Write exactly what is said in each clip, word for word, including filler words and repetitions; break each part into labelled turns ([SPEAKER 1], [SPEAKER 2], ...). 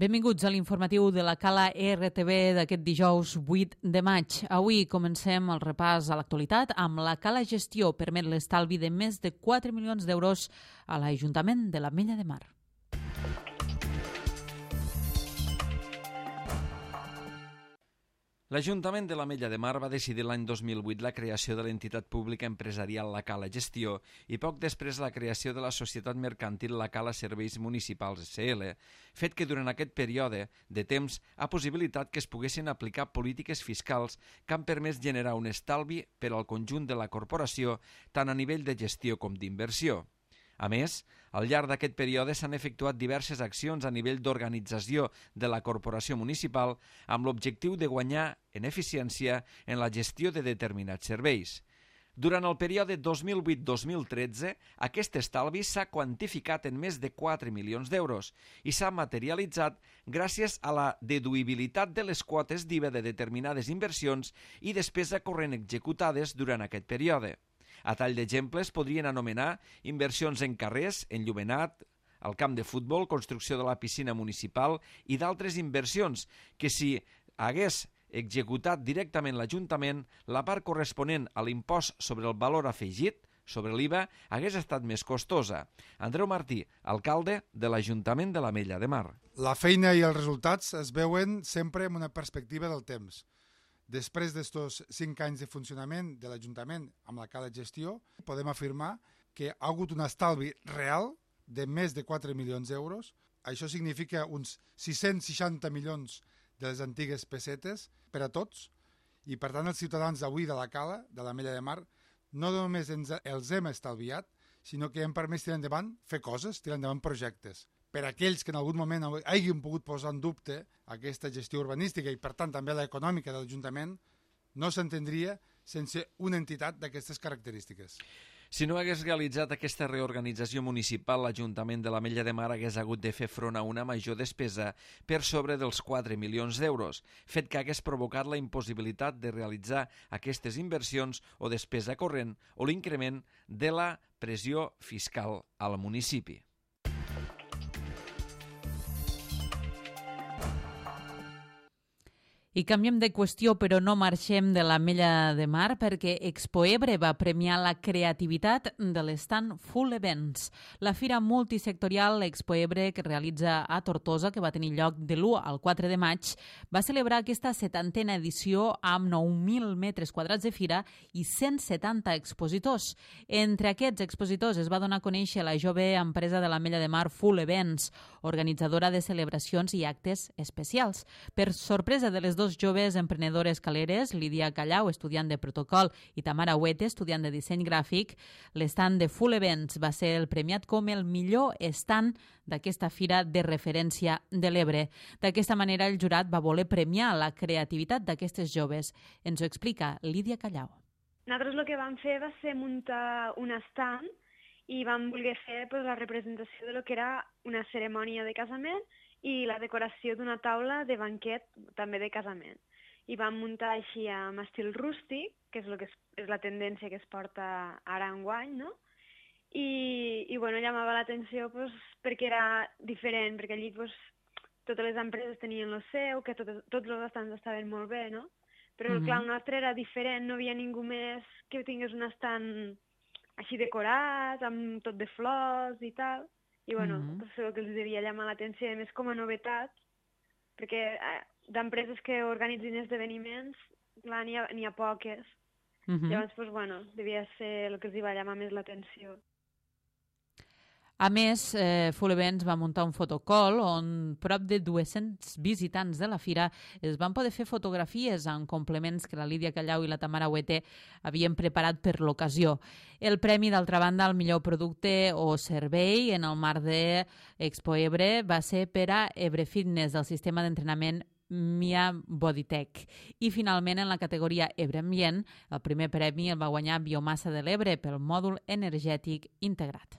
[SPEAKER 1] Benvinguts a l'informatiu de la Cala R T V d'aquest dijous vuit de maig. Avui comencem el repàs a l'actualitat amb la Cala Gestió permet l'estalvi de més de quatre milions d'euros a l'Ajuntament de l'Ametlla de Mar.
[SPEAKER 2] L'Ajuntament de l'Ametlla de Mar va decidir l'any dos mil vuit la creació de l'entitat pública empresarial La Cala Gestió i poc després la creació de la societat mercantil La Cala Serveis Municipals S L, fet que durant aquest període de temps ha possibilitat que es poguessin aplicar polítiques fiscals que han permès generar un estalvi per al conjunt de la corporació tant a nivell de gestió com d'inversió. A més, al llarg d'aquest període s'han efectuat diverses accions a nivell d'organització de la corporació municipal amb l'objectiu de guanyar en eficiència en la gestió de determinats serveis. Durant el període dos mil vuit dos mil tretze, aquest estalvi s'ha quantificat en més de quatre milions d'euros i s'ha materialitzat gràcies a la deduïbilitat de les quotes d'I V A de determinades inversions i despesa corrent executades durant aquest període. A tall d'exemples podrien anomenar inversions en carrers, enllumenat, al camp de futbol, construcció de la piscina municipal i d'altres inversions que si hagués executat directament l'Ajuntament, la part corresponent a l'impost sobre el valor afegit, sobre l'I V A, hagués estat més costosa. Andreu Martí, alcalde de l'Ajuntament de l'Ametlla de Mar.
[SPEAKER 3] La feina i els resultats es veuen sempre en una perspectiva del temps. Després d'estos cinc anys de funcionament de l'Ajuntament amb la Cala Gestió, podem afirmar que ha hagut un estalvi real de més de quatre milions d'euros. Això significa uns sis-cents seixanta milions de les antigues pessetes per a tots i, per tant, els ciutadans d'avui de la Cala, de l'Ametlla de Mar, no només ens, els hem estalviat, sinó que hem permès tirar endavant, fer coses, tirar endavant projectes. Per a aquells que en algun moment hagin pogut posar en dubte aquesta gestió urbanística i, per tant, també l'econòmica de l'Ajuntament, no s'entendria sense una entitat d'aquestes característiques.
[SPEAKER 2] Si no hagués realitzat aquesta reorganització municipal, l'Ajuntament de l'Ametlla de Mar hagués hagut de fer front a una major despesa per sobre dels quatre milions d'euros, fet que hagués provocat la impossibilitat de realitzar aquestes inversions o despesa corrent o l'increment de la pressió fiscal al municipi.
[SPEAKER 1] I canviem de qüestió, però no marxem de l'Ametlla de Mar perquè Expoebre va premiar la creativitat de l'estand Full Events. La fira multisectorial Expoebre que realitza a Tortosa, que va tenir lloc de l'u al quatre de maig, va celebrar aquesta setantena edició amb nou mil metres quadrats de fira i cent setanta expositors. Entre aquests expositors es va donar a conèixer la jove empresa de l'Ametlla de Mar Full Events, organitzadora de celebracions i actes especials. Per sorpresa de les dos joves emprenedores caleres, Lídia Callau, estudiant de protocol, i Tamara Huete, estudiant de disseny gràfic, l'estand de Full Events va ser el premiat com el millor estand d'aquesta fira de referència de l'Ebre. D'aquesta manera, el jurat va voler premiar la creativitat d'aquestes joves. Ens ho explica Lídia Callau.
[SPEAKER 4] Nosaltres el que vam fer va ser muntar un estand i vam voler fer pues, la representació de lo que era una cerimònia de casament i la decoració d'una taula de banquet també de casament. I vam muntar així amb estil rústic, que és, lo que és, és la tendència que es porta ara enguany, no? I, i bueno, llamava l'atenció pues, perquè era diferent, perquè allí pues, totes les empreses tenien el seu, que tot, tots els estands estaven molt bé, no? Però mm-hmm. clar, el nostre era diferent, no hi havia ningú més que tingués un estand així decorat, amb tot de flors i tal. I bueno, mm-hmm. pues, el que els devia llamar l'atenció, a més com a novetat, perquè eh, d'empreses que organitzin esdeveniments, clar, n'hi ha, n'hi ha poques. Mm-hmm. Llavors, pues, bueno, devia ser el que els hi va llamar més l'atenció.
[SPEAKER 1] A més, eh, Full Events va muntar un fotocall on prop de dos-cents visitants de la fira es van poder fer fotografies amb complements que la Lídia Callau i la Tamara Huete havien preparat per l'ocasió. El premi, d'altra banda, al millor producte o servei en el marc de Expoebre va ser per a Ebre Fitness, del sistema d'entrenament Mia Bodytech. I finalment, en la categoria Ebre Ambient, el primer premi el va guanyar Biomassa de l'Ebre pel mòdul energètic integrat.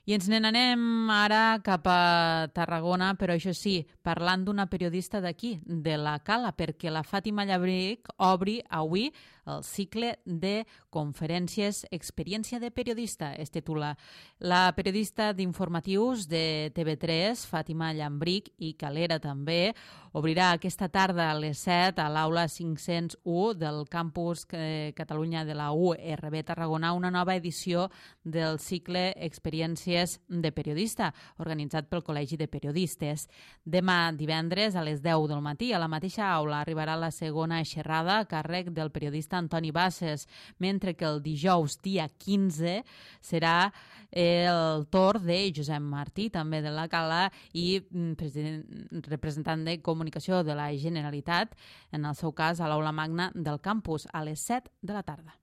[SPEAKER 1] I ens n'anem ara cap a Tarragona, però això sí, parlant d'una periodista d'aquí, de la Cala, perquè la Fàtima Llabric obri avui el cicle de conferències Experiència de periodista, es titula. La periodista d'informatius de T V tres, Fàtima Llabric, i Calera també, obrirà aquesta tarda a les set a l'aula cinc-cents u del campus Catalunya de la U R B Tarragona una nova edició del cicle Experiències de periodista, organitzat pel Col·legi de Periodistes. Demà divendres a les deu del matí a la mateixa aula arribarà la segona xerrada a càrrec del periodista Antoni Bases, mentre que el dijous dia quinze serà el torn de Josep Martí, també de la Cala, i president, representant de Comunicació de la Generalitat, en el seu cas a l'aula magna del campus, a les set de la tarda.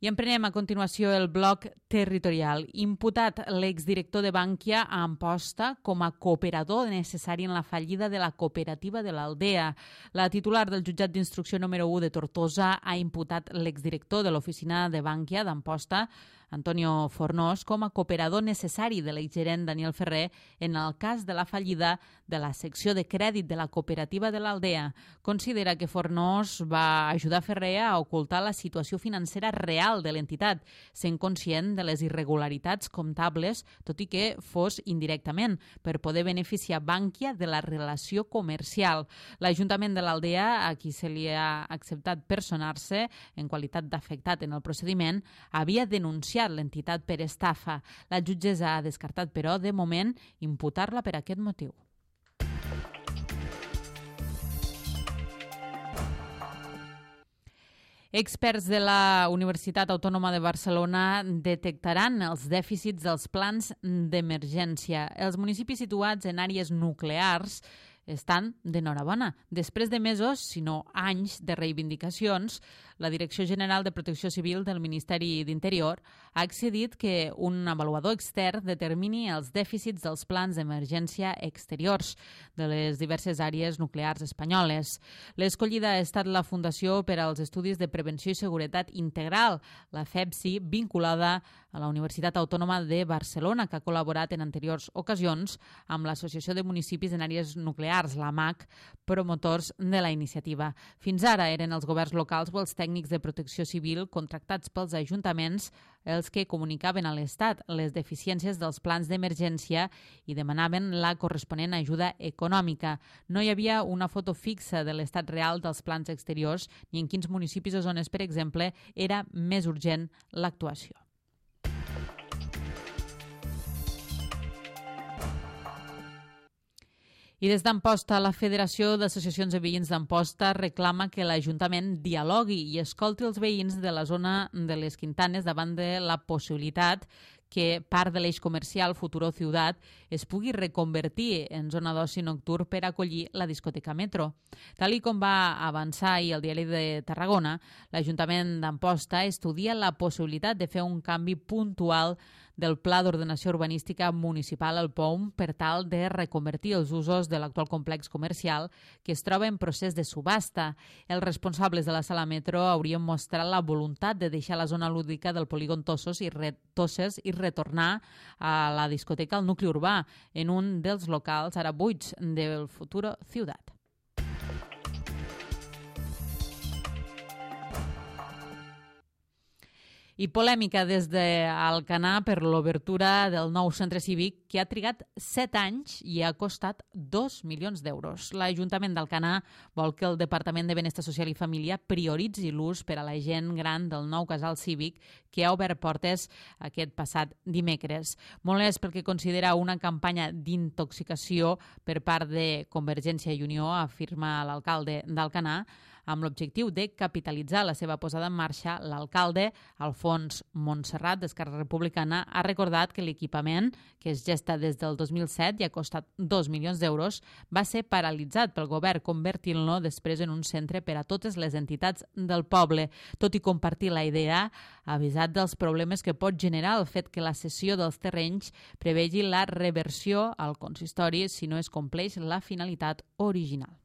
[SPEAKER 1] I emprenem a continuació el bloc territorial. Imputat l'exdirector de Bankia a Amposta com a cooperador necessari en la fallida de la cooperativa de l'Aldea. La titular del jutjat d'instrucció número u de Tortosa ha imputat l'exdirector de l'oficina de Bankia d'Amposta, Antonio Fornós, com a cooperador necessari de l'exgerent Daniel Ferrer en el cas de la fallida de la secció de crèdit de la cooperativa de l'Aldea. Considera que Fornós va ajudar Ferrer a ocultar la situació financera real de l'entitat, sent conscient de les irregularitats comptables, tot i que fos indirectament, per poder beneficiar Bankia de la relació comercial. L'Ajuntament de l'Aldea, a qui se li ha acceptat personar-se en qualitat d'afectat en el procediment, havia denunciat l'entitat per estafa. La jutgessa ha descartat, però, de moment, imputar-la per aquest motiu. Experts de la Universitat Autònoma de Barcelona detectaran els dèficits dels plans d'emergència. Els municipis situats en àrees nuclears estan d'enhorabona. Després de mesos, si no anys, de reivindicacions, la Direcció General de Protecció Civil del Ministeri d'Interior ha accedit que un avaluador extern determini els dèficits dels plans d'emergència exteriors de les diverses àrees nuclears espanyoles. L'escollida ha estat la Fundació per als Estudis de Prevenció i Seguretat Integral, la FEPSI, vinculada a la Universitat Autònoma de Barcelona, que ha col·laborat en anteriors ocasions amb l'Associació de Municipis en Àrees Nuclears, la M A C, promotors de la iniciativa. Fins ara eren els governs locals o els tècnics de protecció civil contractats pels ajuntaments els que comunicaven a l'Estat les deficiències dels plans d'emergència i demanaven la corresponent ajuda econòmica. No hi havia una foto fixa de l'estat real dels plans exteriors ni en quins municipis o zones, per exemple, era més urgent l'actuació. I des d'Amposta, la Federació d'Associacions de Veïns d'Amposta reclama que l'Ajuntament dialogui i escolti els veïns de la zona de les Quintanes davant de la possibilitat que part de l'eix comercial Futuro Ciutat es pugui reconvertir en zona d'oci nocturn per acollir la discoteca Metro. Tal i com va avançar ahir el Diari de Tarragona, l'Ajuntament d'Amposta estudia la possibilitat de fer un canvi puntual del Pla d'Ordenació Urbanística Municipal al P O M per tal de reconvertir els usos de l'actual complex comercial que es troba en procés de subhasta. Els responsables de la sala Metro haurien mostrat la voluntat de deixar la zona lúdica del polígon Tossos i, re Tosses i retornar a la discoteca al nucli urbà en un dels locals ara buits del Futuro Ciutat. I polèmica des d'Alcanar per l'obertura del nou centre cívic que ha trigat set anys i ha costat dos milions d'euros. L'Ajuntament d'Alcanar vol que el Departament de Benestar Social i Família prioritzi l'ús per a la gent gran del nou casal cívic que ha obert portes aquest passat dimecres. Molt és perquè considera una campanya d'intoxicació per part de Convergència i Unió, afirma l'alcalde d'Alcanar. Amb l'objectiu de capitalitzar la seva posada en marxa, l'alcalde, Alfons Montserrat, d'Esquerra Republicana, ha recordat que l'equipament, que es gesta des del dos mil set i ha costat dos milions d'euros, va ser paralitzat pel govern, convertint-lo després en un centre per a totes les entitats del poble. Tot i compartir la idea, ha avisat dels problemes que pot generar el fet que la cessió dels terrenys prevegi la reversió al consistori si no es compleix la finalitat original.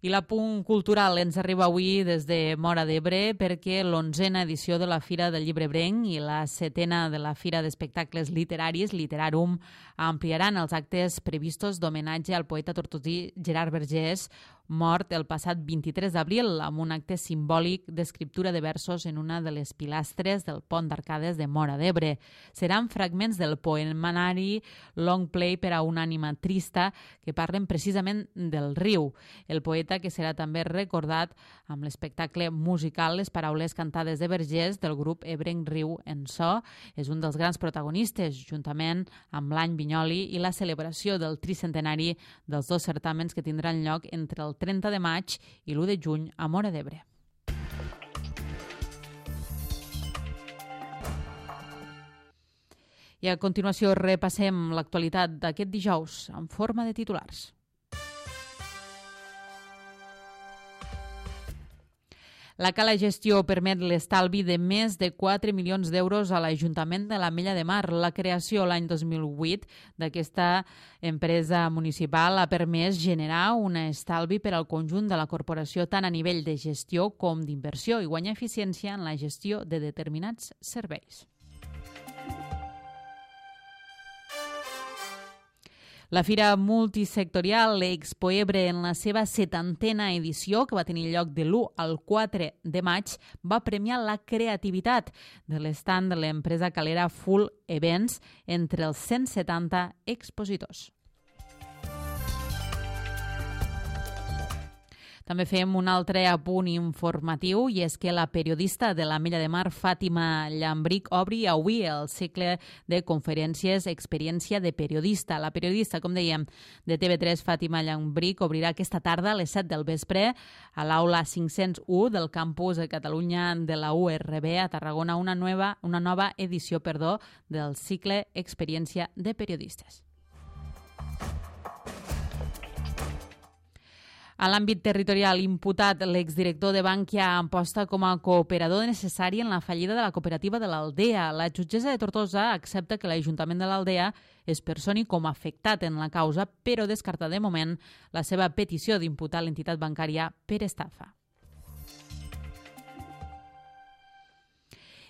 [SPEAKER 1] I l'apunt cultural ens arriba avui des de Móra d'Ebre perquè l'onzena edició de la Fira del Llibre Ebrenc i la setena de la Fira d'Espectacles Literaris, Literarum, ampliaran els actes previstos d'homenatge al poeta tortosí Gerard Vergés, mort el passat vint-i-tres d'abril, amb un acte simbòlic d'escriptura de versos en una de les pilastres del pont d'Arcades de Móra d'Ebre. Seran fragments del poemanari Long Play per a una ànima trista que parlen precisament del riu. El poeta que serà també recordat amb l'espectacle musical Les paraules cantades de Vergés del grup Ebrenc Riu en So. És un dels grans protagonistes, juntament amb l'any Vinyoli i la celebració del tricentenari dels dos certàmens que tindran lloc entre el trenta de maig i l'u de juny a Móra d'Ebre. I a continuació repassem l'actualitat d'aquest dijous en forma de titulars. La Cala Gestió permet l'estalvi de més de quatre milions d'euros a l'Ajuntament de l'Ametlla de Mar. La creació l'any dos mil vuit d'aquesta empresa municipal ha permès generar un estalvi per al conjunt de la corporació tant a nivell de gestió com d'inversió i guanyar eficiència en la gestió de determinats serveis. La Fira Multisectorial Expo Ebre, en la seva setantena edició, que va tenir lloc de l'u al quatre de maig, va premiar la creativitat de l'estand de l'empresa calera Full Events entre els cent setanta expositors. També fem un altre apunt informatiu i és que la periodista de l'Ametlla de Mar, Fàtima Llambric, obri avui el cicle de conferències Experiència de periodista. La periodista, com dèiem, de T V tres, Fàtima Llambric, obrirà aquesta tarda a les set del vespre a l'aula cinc-cents u del campus de Catalunya de la U R B a Tarragona una nova, una nova edició perdó, del cicle Experiència de periodistes. A l'àmbit territorial imputat, l'exdirector de Bankia Amposta com a cooperador necessari en la fallida de la cooperativa de l'Aldea. La jutgessa de Tortosa accepta que l'Ajuntament de l'Aldea es personi com a afectat en la causa, però descarta de moment la seva petició d'imputar l'entitat bancària per estafa.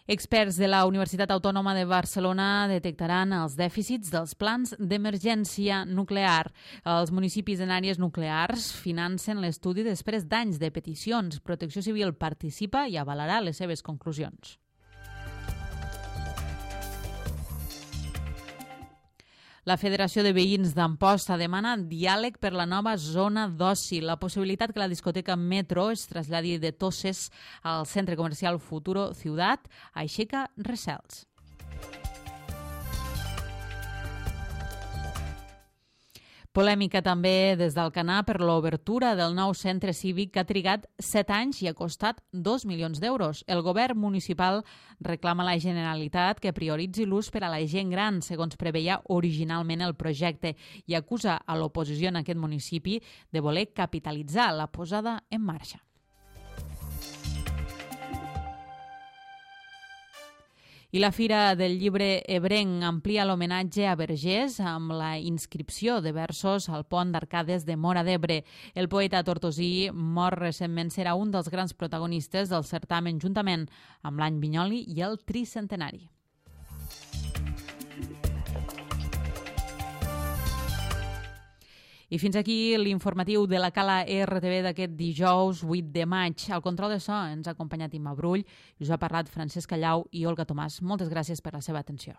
[SPEAKER 1] Experts de la Universitat Autònoma de Barcelona detectaran els dèficits dels plans d'emergència nuclear. Els municipis en àrees nuclears financen l'estudi després d'anys de peticions. Protecció Civil participa i avalarà les seves conclusions. La Federació de Veïns d'Amposta demana diàleg per la nova zona d'oci. La possibilitat que la discoteca Metro es traslladi de Toses al centre comercial Futuro Ciutat aixeca recels. Polèmica també des d'Alcanar per l'obertura del nou centre cívic que ha trigat set anys i ha costat dos milions d'euros. El govern municipal reclama a la Generalitat que prioritzi l'ús per a la gent gran, segons preveia originalment el projecte, i acusa a l'oposició en aquest municipi de voler capitalitzar la posada en marxa. I la Fira del Llibre Ebrenc amplia l'homenatge a Vergés amb la inscripció de versos al pont d'Arcades de Móra d'Ebre. El poeta tortosí, mort recentment, serà un dels grans protagonistes del certamen juntament amb l'any Vinyoli i el tricentenari. I fins aquí l'informatiu de la Cala R T V d'aquest dijous vuit de maig. Al control de so ens ha acompanyat Imma Brull i us ha parlat Francesc Callau i Olga Tomàs. Moltes gràcies per la seva atenció.